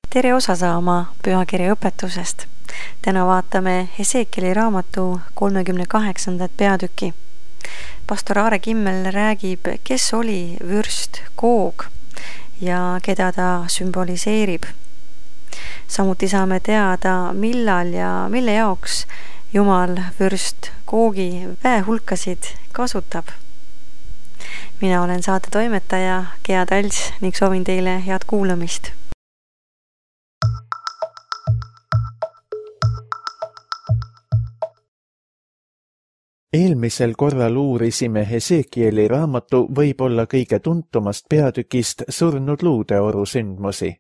Tere osa saama pühakirja õpetusest. Täna vaatame Hesekieli raamatu 38. peatüki. Pastor Aare Kimmel räägib, kes oli vürst Goog ja keda ta sümboliseerib. Samuti saame teada, millal ja mille jaoks Jumal vürst Googi väehulkasid kasutab. Mina olen saate toimetaja Gea Talts ning soovin teile head kuulamist. Eelmisel korral uurisime Hesekieli raamatu võib-olla kõige tuntumast peatükist surnud luudeoru sündmusi.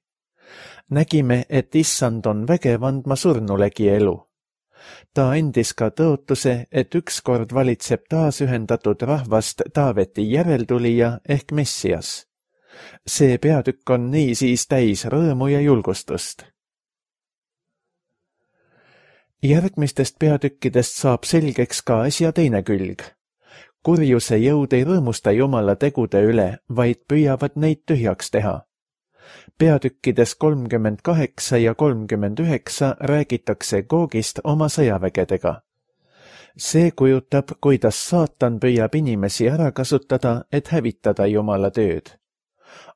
Nägime, et issand on vägev andma surnulegi elu. Ta andis ka tõotuse, et ükskord valitseb taas ühendatud rahvast Taaveti järeltulija ehk Messias. See peatükk on niisiis täis rõõmu ja julgustust. Järgmistest peatükkidest saab selgeks ka asja teine külg. Kurjuse jõud ei rõõmusta Jumala tegude üle, vaid püüavad neid tühjaks teha. Peatükkides 38 ja 39 räägitakse Googist oma sõjavägedega. See kujutab, kuidas saatan püüab inimesi ära kasutada, et hävitada Jumala tööd.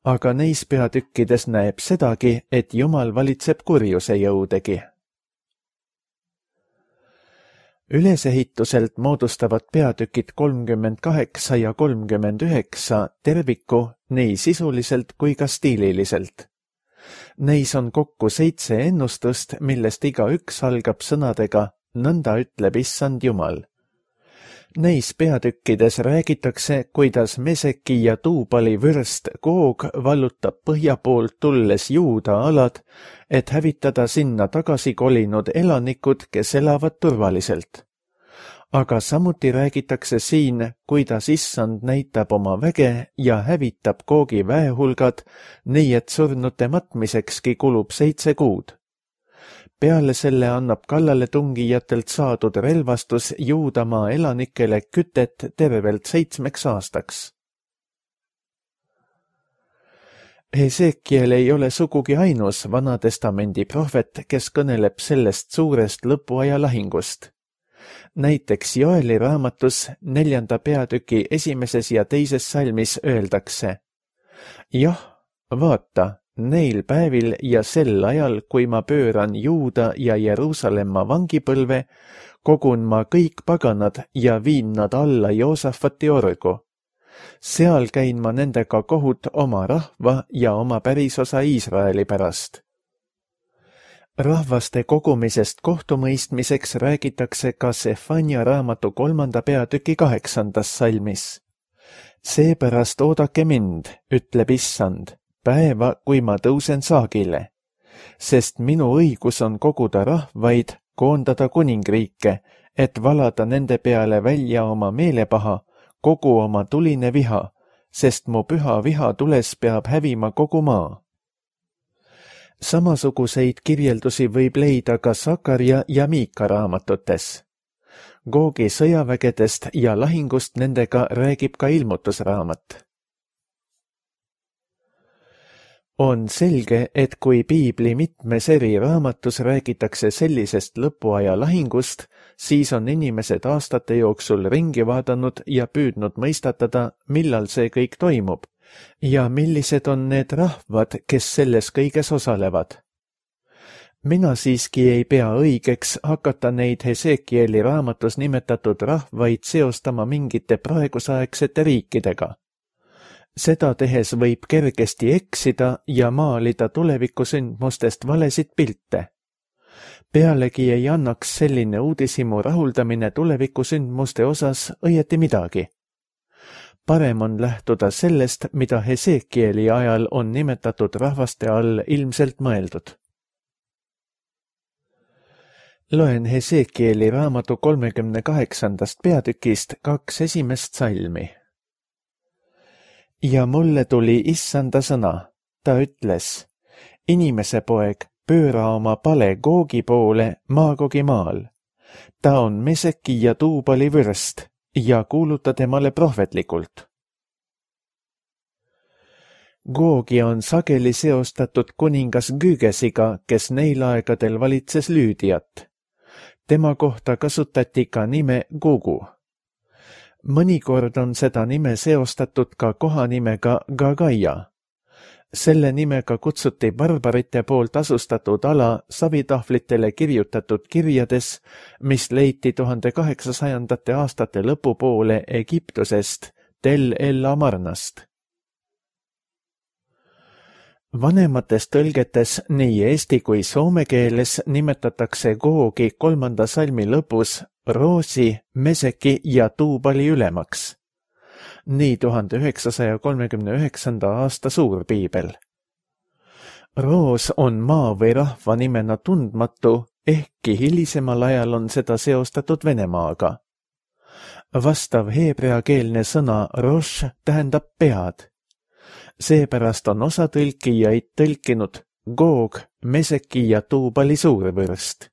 Aga neis peatükkides näeb sedagi, et Jumal valitseb kurjuse jõudegi. Ülesehituselt moodustavad peatükid 38 ja 39 terviku nii sisuliselt kui ka stiililiselt. Neis on kokku 7 ennustust, millest igaüks algab sõnadega "Nõnda ütleb issand Jumal". Neis peatükkides räägitakse, kuidas Meseki ja Tuubali vürst Goog vallutab põhja poolt tulles Juuda alad, et hävitada sinna tagasi kolinud elanikud, kes elavad turvaliselt. Aga samuti räägitakse siin, kuidas issand näitab oma väge ja hävitab Googi väehulgad, nii et surnute matmisekski kulub 7 kuud. Peale selle annab kallaletungijatelt saadud relvastus Juudamaa elanikele kütet tervelt 7 aastaks. Hesekiel ei ole sugugi ainus Vanatestamendi prohvet, kes kõneleb sellest suurest lõpuaja lahingust. Näiteks Joeli raamatus 4. peatüki 1. ja 2. salmis öeldakse: Jah, vaata, neil päevil ja sel ajal, kui ma pööran Juuda ja Jeruusalemma vangipõlve, kogun ma kõik paganad ja viin nad alla Joosafati orgu. Seal käin ma nendega kohut oma rahva ja oma pärisosa Iisraeli pärast. Rahvaste kogumisest kohtumõistmiseks räägitakse ka Sefania raamatu 3. peatüki 8. salmis. Seepärast oodake mind, ütleb issand, päeva, kui ma tõusen saagile, sest minu õigus on koguda rahvaid, koondada kuningriike, et valada nende peale välja oma meelepaha, kogu oma tuline viha, sest mu püha viha tules peab hävima kogu maa. Samasuguseid kirjeldusi võib leida ka Sakaria ja Miika raamatutes. Googi sõjavägedest ja lahingust nendega räägib ka ilmutusraamat. On selge, et kui piibli mitmes eri raamatus räägitakse sellisest lõpuaja lahingust, siis on inimesed aastate jooksul ringi vaadanud ja püüdnud mõistatada, millal see kõik toimub ja millised on need rahvad, kes selles kõiges osalevad. Mina siiski ei pea õigeks hakata neid Hesekieli raamatus nimetatud rahvaid seostama mingite praegusaegsete riikidega. Seda tehes võib kergesti eksida ja maalida tulevikusündmustest valesid pilte. Pealegi ei annaks selline uudishimu rahuldamine tulevikusündmuste osas õieti midagi. Parem on lähtuda sellest, mida Hesekieli ajal on nimetatud rahvaste all ilmselt mõeldud. Loen Hesekieli raamatu 38. peatükist 2 esimest salmi. Ja mulle tuli issanda sõna, ta ütles: Inimese poeg, pööra oma pale Googi poole Maagogi maal. Ta on Meseki ja Tuubali vürst ja kuuluta temale prohvetlikult. Googi on sageli seostatud kuningas Gügesiga, kes neil aegadel valitses Lüüdiat. Tema kohta kasutati ka nime Gugu. Mõnikord on seda nime seostatud ka kohanimega Gagaia. Selle nimega kutsuti barbarite poolt asustatud ala savitahvlitele kirjutatud kirjades, mis leiti 1800. aastate lõpupoole Egiptusest Tel El Amarnast. Vanemates tõlgetes nii eesti kui soome keeles nimetatakse Googi 3. salmi lõpus Roosi, Meseki ja Tuubali ülemaks. Nii 1939. aasta suurpiibel. Roos on maa või rahva nimena tundmatu, ehkki hilisemal ajal on seda seostatud Venemaaga. Vastav heebreakeelne sõna rosh tähendab pead. Seepärast on osa tõlkijaid tõlkinud Goog, Meseki ja Tuubali suurvürst.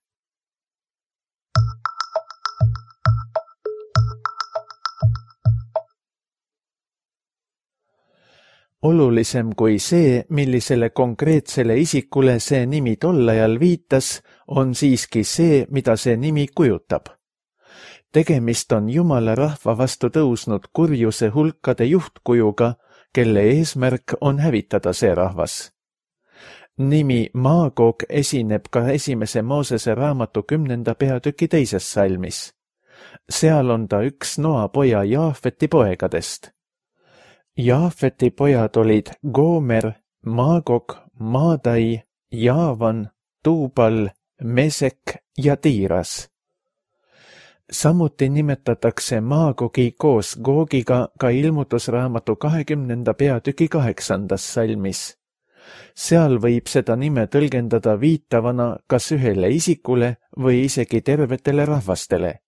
Olulisem kui see, millisele konkreetsele isikule see nimi tol ajal viitas, on siiski see, mida see nimi kujutab. Tegemist on Jumala rahva vastu tõusnud kurjuse hulkade juhtkujuga, kelle eesmärk on hävitada see rahvas. Nimi Maagog esineb ka 1. Moosese raamatu 10. peatüki 2. salmis. Seal on ta üks Noa poja Jaafeti poegadest. Jaafeti pojad olid Goomer, Maagog, Maadai, Jaavan, Tuubal, Mesek ja Tiiras. Samuti nimetatakse Maagogi koos Googiga ka ilmutusraamatu 20. peatüki 8. salmis. Seal võib seda nime tõlgendada viitavana kas ühele isikule või isegi tervetele rahvastele.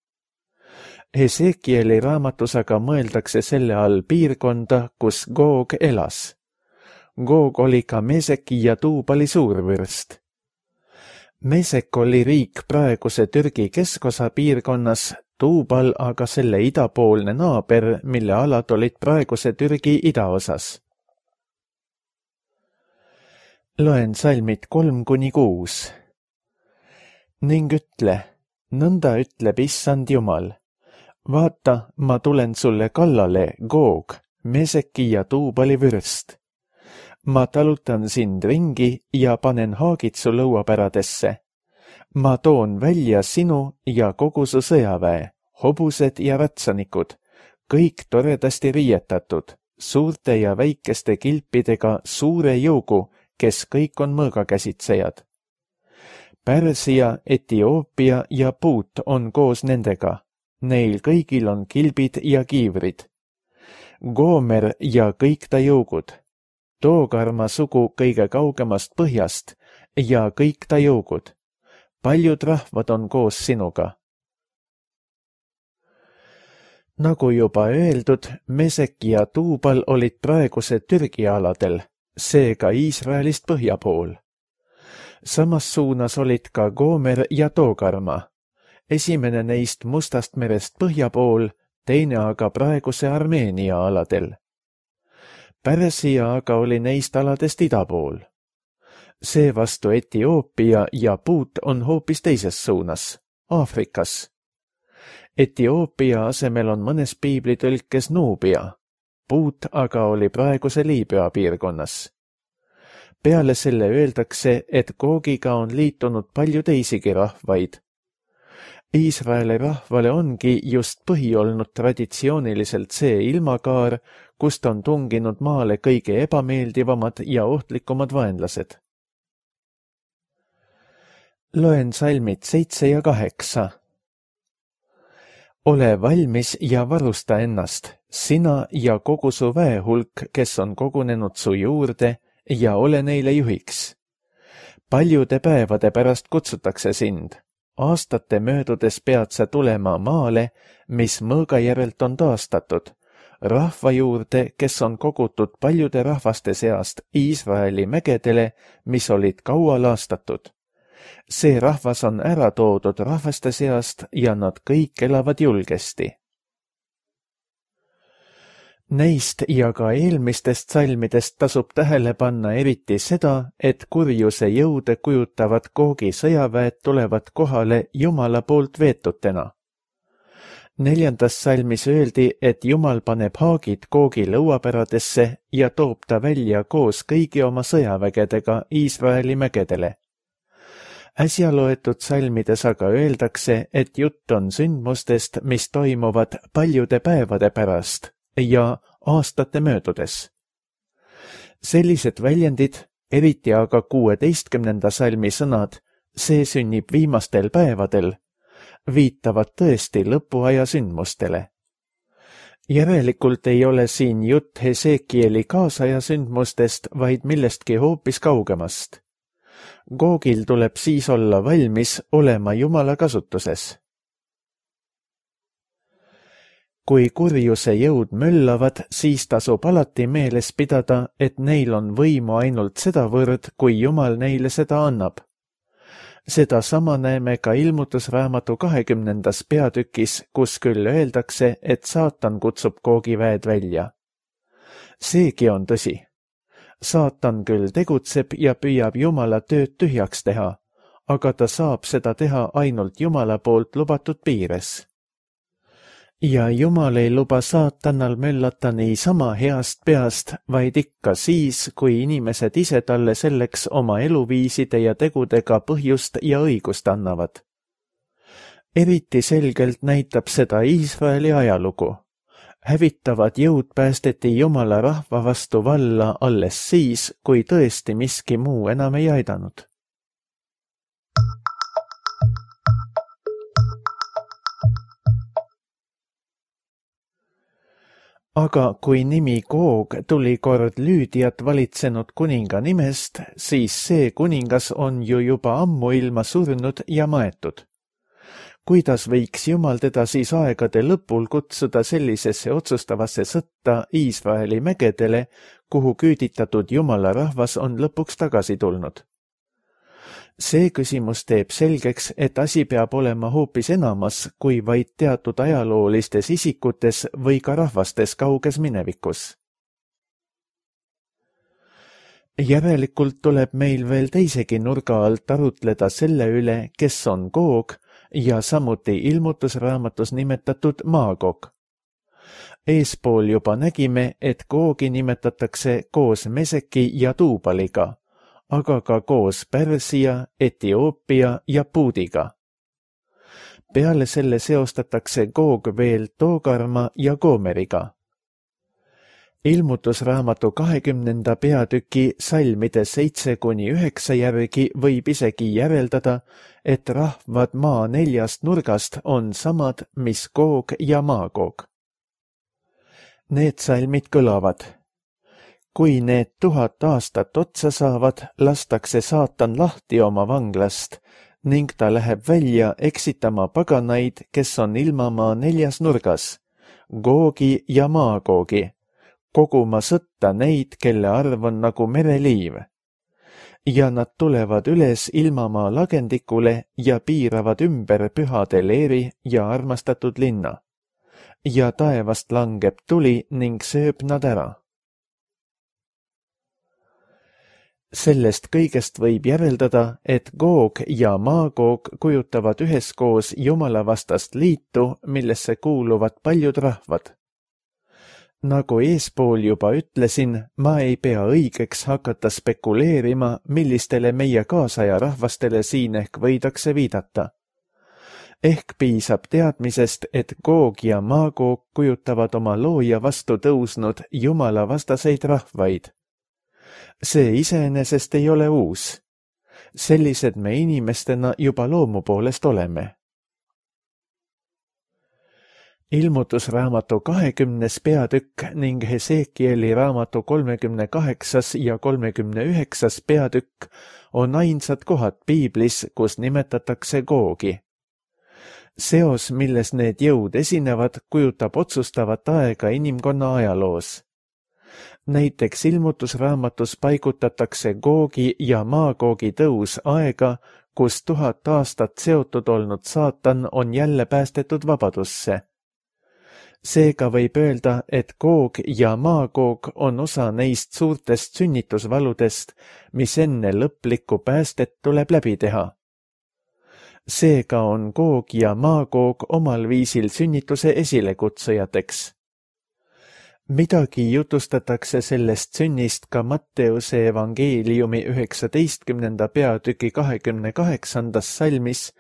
Hesekieli raamatus aga mõeldakse selle all piirkonda, kus Goog elas. Goog oli ka Meseki ja Tuubali suurvürst. Mesek oli riik praeguse Türgi keskosa piirkonnas, Tuubal aga selle idapoolne naaber, mille alad olid praeguse Türgi idaosas. Loen salmid 3-6. Ning ütle, nõnda ütleb Issand Jumal. Vaata, ma tulen sulle kallale, Goog, Meseki ja Tuubali vürst. Ma talutan sind ringi ja panen haagid su lõuapäradesse. Ma toon välja sinu ja kogu su sõjaväe, hobused ja ratsanikud, kõik toredasti riietatud, suurte ja väikeste kilpidega suure jõugu, kes kõik on mõõgakäsitsejad. Pärsia, Etioopia ja Puut on koos nendega. Neil kõigil on kilbid ja kiivrid. Goomer ja kõik ta jõugud. Toogarma sugu kõige kaugemast põhjast ja kõik ta jõugud. Paljud rahvad on koos sinuga. Nagu juba öeldud, Mesek ja Tuubal olid praeguse Türgi aladel, seega Iisraelist põhja pool. Samas suunas olid ka Goomer ja Toogarma. Esimene neist Mustast merest põhja pool, teine aga praeguse Armeenia aladel. Pärsia aga oli neist aladest ida pool. Seevastu Etioopia ja Puut on hoopis teises suunas, Aafrikas. Etioopia asemel on mõnes piiblitõlkes Nuubia, Puut aga oli praeguse Liibüa piirkonnas. Peale selle öeldakse, et Googiga on liitunud palju teisigi rahvaid. Iisraeli rahvale ongi just põhi olnud traditsiooniliselt see ilmakaar, kust on tunginud maale kõige ebameeldivamad ja ohtlikumad vaenlased. Loen salmid 7 ja 8. Ole valmis ja varusta ennast, sina ja kogu su väehulk, kes on kogunenud su juurde, ja ole neile juhiks. Paljude päevade pärast kutsutakse sind. Aastate möödudes pead sa tulema maale, mis mõõga järelt on taastatud, rahva juurde, kes on kogutud paljude rahvaste seast Iisraeli mägedele, mis olid kaua laastatud. See rahvas on ära toodud rahvaste seast ja nad kõik elavad julgesti. Neist ja ka eelmistest salmidest tasub tähele panna eriti seda, et kurjuse jõude kujutavad Googi sõjaväed tulevad kohale Jumala poolt veetutena. 4. salmis öeldi, et Jumal paneb haagid Googi lõuapäradesse ja toob ta välja koos kõigi oma sõjavägedega Iisraeli mägedele. Äsja loetud salmides aga öeldakse, et jutt on sündmustest, mis toimuvad paljude päevade pärast ja aastate möödudes. Sellised väljendid, eriti aga 16. salmi sõnad, see sünnib viimastel päevadel, viitavad tõesti lõpuaja sündmustele. Järelikult ei ole siin jutt Hesekieli kaasaja sündmustest, vaid millestki hoopis kaugemast. Googil tuleb siis olla valmis olema Jumala kasutuses. Kui kurjuse jõud möllavad, siis tasub alati meeles pidada, et neil on võimu ainult sedavõrd, kui Jumal neile seda annab. Seda sama näeme ka Ilmutusraamatu 20. peatükis, kus küll öeldakse, et saatan kutsub Googi väed välja. Seegi on tõsi. Saatan küll tegutseb ja püüab Jumala tööd tühjaks teha, aga ta saab seda teha ainult Jumala poolt lubatud piires. Ja Jumal ei luba saatanal möllata niisama heast peast, vaid ikka siis, kui inimesed ise talle selleks oma eluviiside ja tegudega põhjust ja õigust annavad. Eriti selgelt näitab seda Iisraeli ajalugu. Hävitavad jõud päästeti Jumala rahva vastu valla alles siis, kui tõesti miski muu enam ei aidanud. Aga kui nimi Goog tuli kord Lüüdiat valitsenud kuninga nimest, siis see kuningas on ju juba ammuilma surnud ja maetud. Kuidas võiks Jumal teda siis aegade lõpul kutsuda sellisesse otsustavasse sõtta Iisraeli mägedele, kuhu küüditatud Jumala rahvas on lõpuks tagasi tulnud? See küsimus teeb selgeks, et asi peab olema hoopis enamas kui vaid teatud ajaloolistes isikutes või ka rahvastes kauges minevikus. Järelikult tuleb meil veel teisegi nurga alt arutleda selle üle, kes on Goog ja samuti Ilmutusraamatus nimetatud Maagog. Eespool juba nägime, et Googi nimetatakse koos Meseki ja Tuubaliga, aga ka koos Pärsia, Etioopia ja Puudiga. Peale selle seostatakse Goog veel Togarma ja Goomeriga. Ilmutusraamatu 20. peatüki salmide 7-9 järgi võib isegi järeldada, et rahvad maa 4 nurgast on samad, mis Goog ja Maagog. Need salmid kõlavad. Kui need 1000 aastat otsa saavad, lastakse saatan lahti oma vanglast ning ta läheb välja eksitama paganaid, kes on ilmamaa 4 nurgas, Googi ja Maagoogi, koguma sõtta neid, kelle arv on nagu mereliiv. Ja nad tulevad üles ilmamaa lagendikule ja piiravad ümber pühade leeri ja armastatud linna. Ja taevast langeb tuli ning sööb nad ära. Sellest kõigest võib järeldada, et Goog ja Maagog kujutavad üheskoos jumalavastast liitu, millesse kuuluvad paljud rahvad. Nagu eespool juba ütlesin, ma ei pea õigeks hakata spekuleerima, millistele meie kaasaja rahvastele siin ehk võidakse viidata. Ehk piisab teadmisest, et Goog ja Maagog kujutavad oma looja vastu tõusnud jumalavastaseid rahvaid. See iseenesest ei ole uus. Sellised me inimestena juba loomu poolest oleme. Ilmutusraamatu 20. peatükk ning Hesekieli raamatu 38. ja 39. peatükk on ainsad kohad piiblis, kus nimetatakse Googi. Seos, milles need jõud esinevad, kujutab otsustavat aega inimkonna ajaloos. Näiteks Ilmutusraamatus paigutatakse Googi ja Maagoogi tõus aega, kus 1000 aastat seotud olnud saatan on jälle päästetud vabadusse. Seega võib öelda, et Goog ja Maagoog on osa neist suurtest sünnitusvaludest, mis enne lõplikku päästet tuleb läbi teha. Seega on Goog ja Maagoog omal viisil sünnituse esilekutsujateks. Midagi jutustatakse sellest sünnist ka Matteuse evangeeliumi 19. peatüki 28. salmis,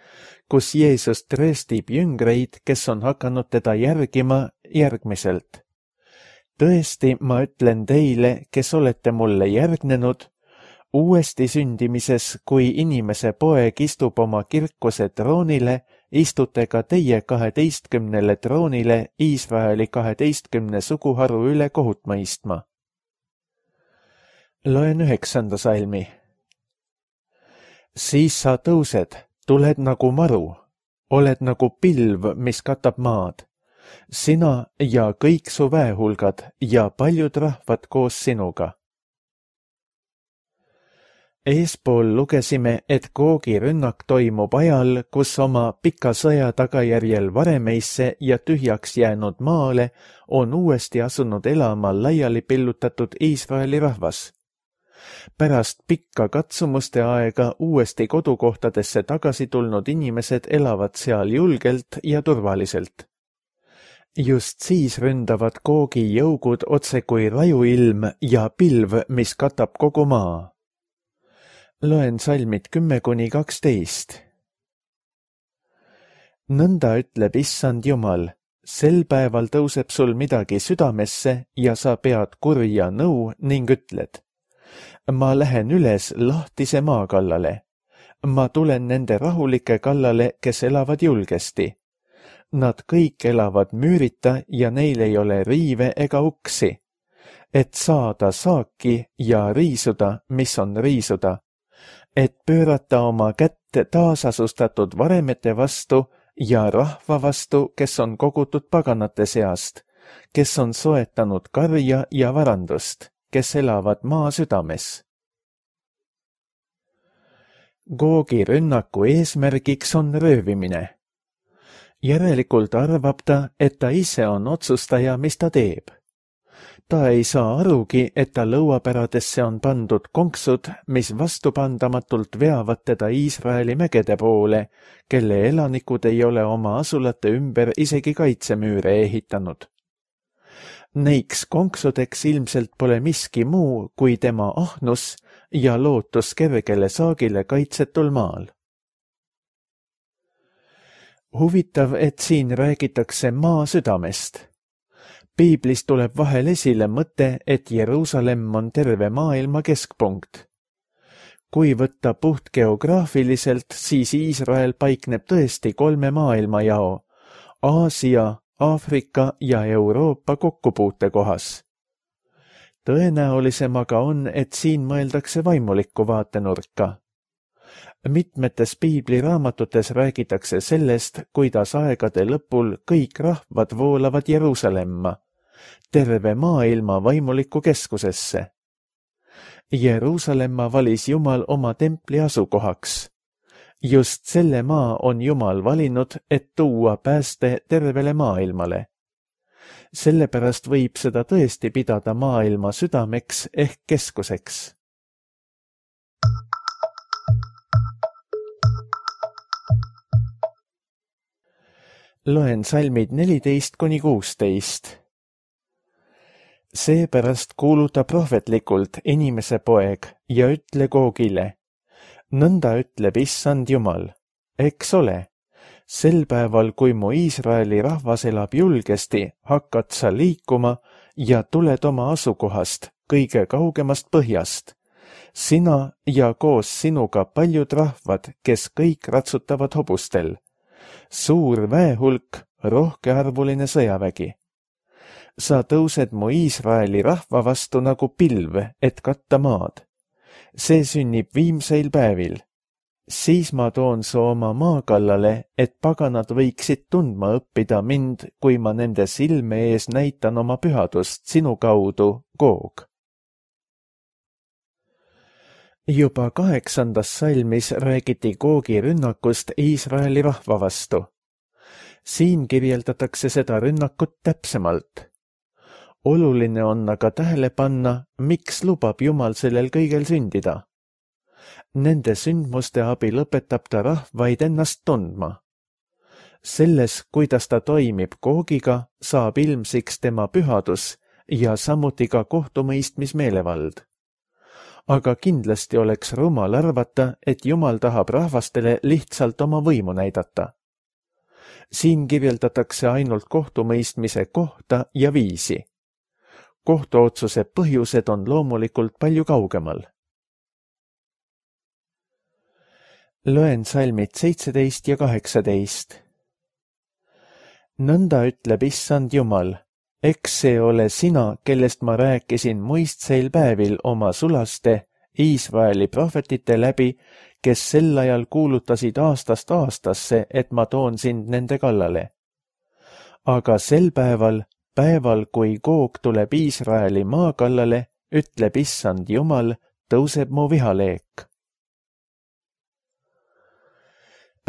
kus Jeesus trööstib jüngreid, kes on hakanud teda järgima järgmiselt. Tõesti, ma ütlen teile, kes olete mulle järgnenud, uuesti sündimises, kui inimese poeg istub oma kirkuse troonile, istute ka teie 12 troonile Iisraeli 12 suguharu üle kohut mõistma. Loen 9. salmi. Siis sa tõused, tuled nagu maru, oled nagu pilv, mis katab maad, sina ja kõik su väehulgad ja paljud rahvad koos sinuga. Eespool lugesime, et Googi rünnak toimub ajal, kus oma pika sõja tagajärjel varemeisse ja tühjaks jäänud maale on uuesti asunud elama laiali pillutatud Iisraeli rahvas. Pärast pikka katsumuste aega uuesti kodukohtadesse tagasi tulnud inimesed elavad seal julgelt ja turvaliselt. Just siis ründavad Googi jõugud otse kui rajuilm ja pilv, mis katab kogu maa. Loen salmid 10–12. Nõnda ütleb Issand Jumal, sel päeval tõuseb sul midagi südamesse ja sa pead kurja nõu ning ütled. Ma lähen üles lahtise maa kallale. Ma tulen nende rahulike kallale, kes elavad julgesti. Nad kõik elavad müürita ja neil ei ole riive ega uksi, et saada saaki ja riisuda, mis on riisuda, et pöörata oma kätt taasasustatud varemete vastu ja rahva vastu, kes on kogutud paganate seast, kes on soetanud karja ja varandust, kes elavad maa südames. Googi rünnaku eesmärgiks on röövimine. Järelikult arvab ta, et ta ise on otsustaja, mis ta teeb. Ta ei saa arugi, et ta lõuapäradesse on pandud konksud, mis vastupandamatult veavad teda Iisraeli mägede poole, kelle elanikud ei ole oma asulate ümber isegi kaitsemüüre ehitanud. Neiks konksudeks ilmselt pole miski muu kui tema ahnus ja lootus kergele saagile kaitsetul maal. Huvitav, et siin räägitakse maa südamest. Piiblis tuleb vahel esile mõte, et Jeruusalemm on terve maailma keskpunkt. Kui võtta puht geograafiliselt, siis Iisrael paikneb tõesti 3 maailmajao, Aasia, Aafrika ja Euroopa kokkupuutekohas. Tõenäolisem aga on, et siin mõeldakse vaimulikku vaatenurka. Mitmetes piibliraamatutes räägitakse sellest, kuidas aegade lõpul kõik rahvad voolavad Jeruusalemma, terve maailma vaimulikku keskusesse. Jeruusalemma valis Jumal oma templi asukohaks. Just selle maa on Jumal valinud, et tuua pääste tervele maailmale. Sellepärast võib seda tõesti pidada maailma südameks ehk keskuseks. Loen salmid 14–16. Seepärast kuuluta prohvetlikult inimese poeg ja ütle Googile. Nõnda ütleb Issand Jumal, eks ole, sel päeval, kui mu Iisraeli rahvas elab julgesti, hakkad sa liikuma ja tuled oma asukohast, kõige kaugemast põhjast. Sina ja koos sinuga paljud rahvad, kes kõik ratsutavad hobustel. Suur väehulk, rohkearvuline sõjavägi. Sa tõused mu Iisraeli rahva vastu nagu pilv, et katta maad. See sünnib viimseil päevil. Siis ma toon su oma maa kallale, et paganad võiksid tundma õppida mind, kui ma nende silme ees näitan oma pühadust sinu kaudu, Goog. Juba 8. salmis räägiti Googi rünnakust Iisraeli rahva vastu. siin kirjeldatakse seda rünnakut täpsemalt. Oluline on aga tähele panna, miks lubab Jumal sellel kõigel sündida. Nende sündmuste abil õpetab ta rahvaid ennast tundma. Selles, kuidas ta toimib Googiga, saab ilmsiks tema pühadus ja samuti ka kohtumõistmismeelevald. Aga kindlasti oleks rumal arvata, et Jumal tahab rahvastele lihtsalt oma võimu näidata. Siin kirjeldatakse ainult kohtumõistmise kohta ja viisi. Kohtuotsuse põhjused on loomulikult palju kaugemal. Loen salmid 17 ja 18. Nõnda ütleb Issand Jumal, eks see ole sina, kellest ma rääkisin muistseil päevil oma sulaste Iisraeli prohvetite läbi, kes sel ajal kuulutasid aastast aastasse, et ma toon sind nende kallale. Aga sel päeval, kui Goog tuleb Iisraeli maa kallale, ütleb Issand Jumal, tõuseb mu vihaleek.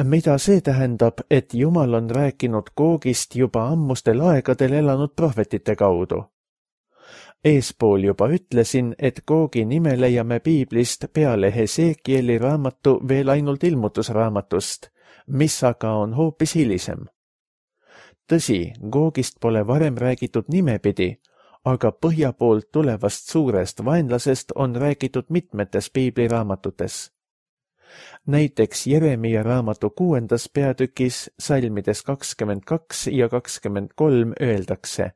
Mida see tähendab, et Jumal on rääkinud Googist juba ammustel aegadel elanud prohvetite kaudu? Eespool juba ütlesin, et Googi nime leiame piiblist peale Hesekieli raamatu veel ainult ilmutusraamatust, mis aga on hoopis hilisem. Tõsi, Googist pole varem räägitud nimepidi, aga põhja poolt tulevast suurest vaenlasest on räägitud mitmetes piibliraamatutes. Näiteks Jeremia raamatu 6. peatükis salmides 22 ja 23 öeldakse: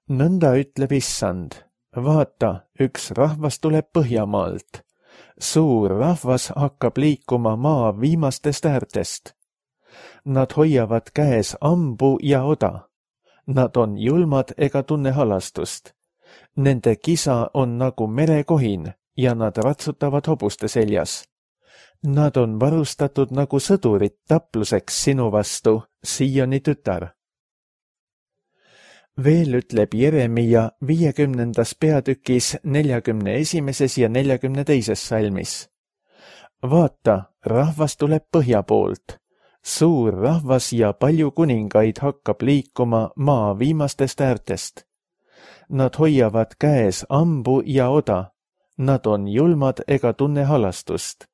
Nõnda ütleb Issand, vaata, üks rahvas tuleb Põhjamaalt. Suur rahvas hakkab liikuma maa viimastest äärtest. Nad hoiavad käes ambu ja oda. Nad on julmad ega tunne halastust. Nende kisa on nagu merekohin ja nad ratsutavad hobuste seljas. Nad on varustatud nagu sõdurid tapluseks sinu vastu, Sioni tütar. Veel ütleb Jeremia 50. peatükis 41. ja 42. salmis. Vaata, rahvas tuleb põhja poolt. Suur rahvas ja palju kuningaid hakkab liikuma maa viimastest äärtest. Nad hoiavad käes ambu ja oda. Nad on julmad ega tunne halastust.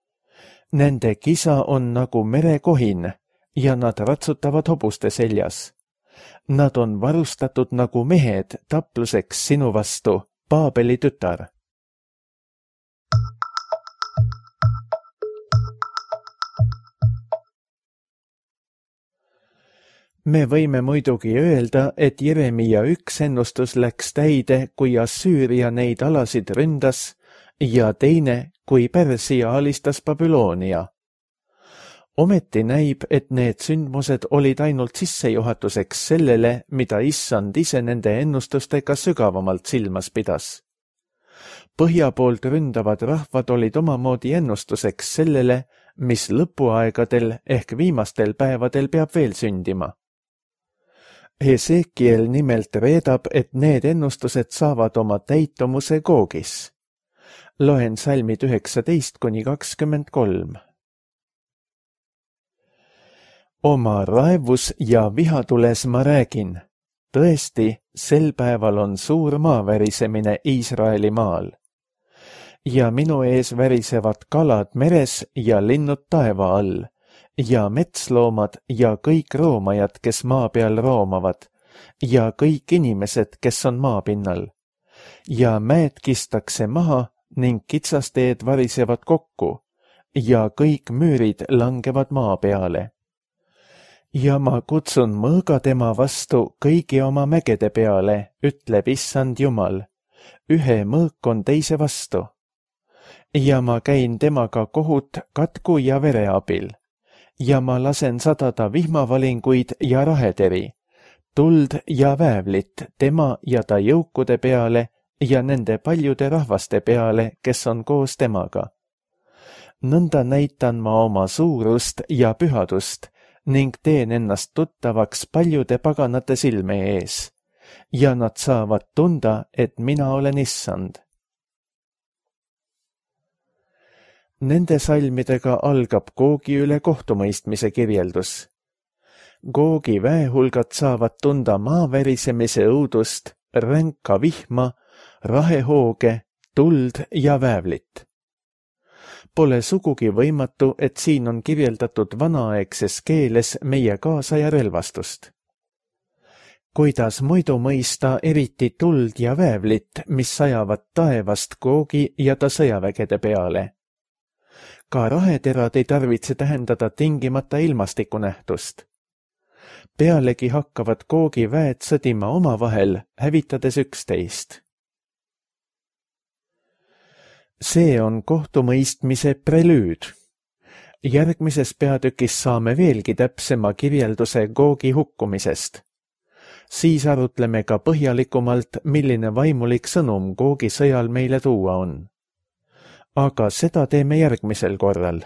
Nende kisa on nagu merekohin ja nad ratsutavad hobuste seljas. Nad on varustatud nagu mehed tapluseks sinu vastu, Paabeli tütar. Me võime muidugi öelda, et Jeremia üks ennustus läks täide, kui Assüüria neid alasid ründas, ja teine, kui Pärsia alistas Babyloonia. Ometi näib, et need sündmused olid ainult sissejuhatuseks sellele, mida Issand ise nende ennustustega sügavamalt silmas pidas. Põhja poolt ründavad rahvad olid omamoodi ennustuseks sellele, mis lõpuaegadel ehk viimastel päevadel peab veel sündima. Hesekiel nimelt reedab, et need ennustused saavad oma täitumuse Googis. Loen salmid 19–23. Oma raevus ja vihatules ma räägin. Tõesti, sel päeval on suur maavärisemine Iisraeli maal. Ja minu ees värisevad kalad meres ja linnud taeva all, ja metsloomad ja kõik roomajad, kes maa peal roomavad, ja kõik inimesed, kes on maapinnal. Ja mäed kistakse maha ning kitsasteed varisevad kokku, ja kõik müürid langevad maa peale. Ja ma kutsun mõõga tema vastu kõigi oma mägede peale, ütleb Issand Jumal. Ühe mõõk on teise vastu. Ja ma käin temaga kohut katku ja vere abil. Ja ma lasen sadada vihmavalinguid ja raheteri, tuld ja väävlit tema ja ta jõukude peale ja nende paljude rahvaste peale, kes on koos temaga. Nõnda näitan ma oma suurust ja pühadust ning teen ennast tuttavaks paljude paganate silme ees, ja nad saavad tunda, et mina olen Issand. Nende salmidega algab Googi üle kohtumõistmise kirjeldus. Googi väehulgad saavad tunda maavärisemise õudust, ränka vihma, rahehooge, tuld ja väävlit. Pole sugugi võimatu, et siin on kirjeldatud vanaaegses keeles meie kaasaja relvastust. Kuidas muidu mõista eriti tuld ja väävlit, mis sajavad taevast Googi ja ta sõjavägede peale? Ka raheterad ei tarvitse tähendada tingimata ilmastikunähtust. Pealegi hakkavad Googi väed sõdima omavahel, hävitades üksteist. See on kohtumõistmise prelüüd. Järgmises peatükis saame veelgi täpsema kirjelduse Googi hukkumisest. Siis arutleme ka põhjalikumalt, milline vaimulik sõnum Googi sõjal meile tuua on. Aga seda teeme järgmisel korral.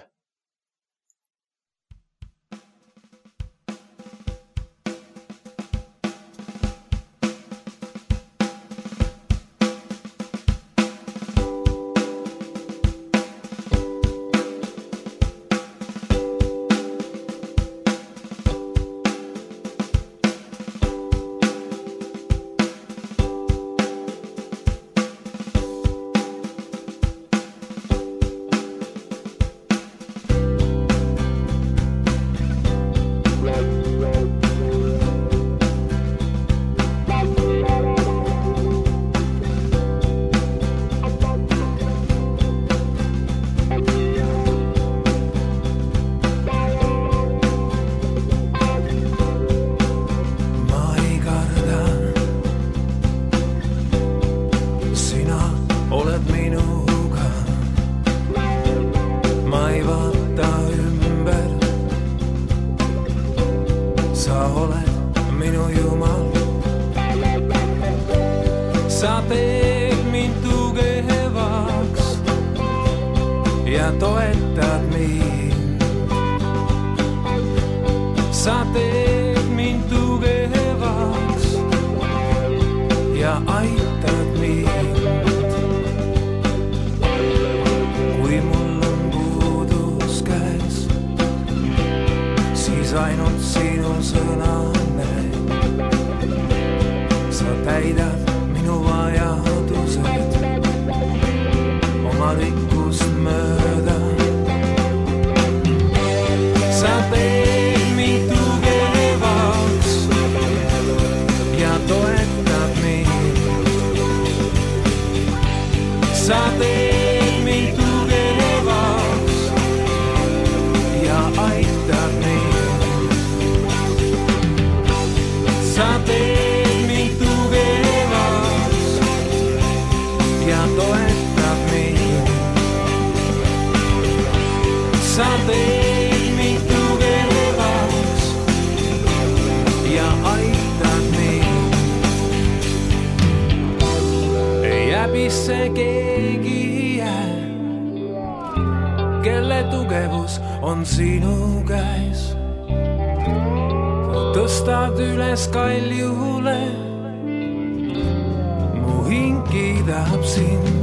Sa teed mind tugevaks ja toetad mind. Sa teed mind tugevaks ja aitad mind. Kui mul on puudus käes, siis ainult sinu sõnane. Sa täidad minu vajadused oma rikkust mööda. Sa teed mind tugevaks ja toetad mind. Sa teed mind tugevaks ja aitad mind. Sa teed mind tugevaks ja toetab mind. Sa teed mind tugevaks ja aitad mind. Ei häbisse keegi jää, kelle tugevus on sinu käes. Sa tõstad üles kaljule, mu hing kiidab sind.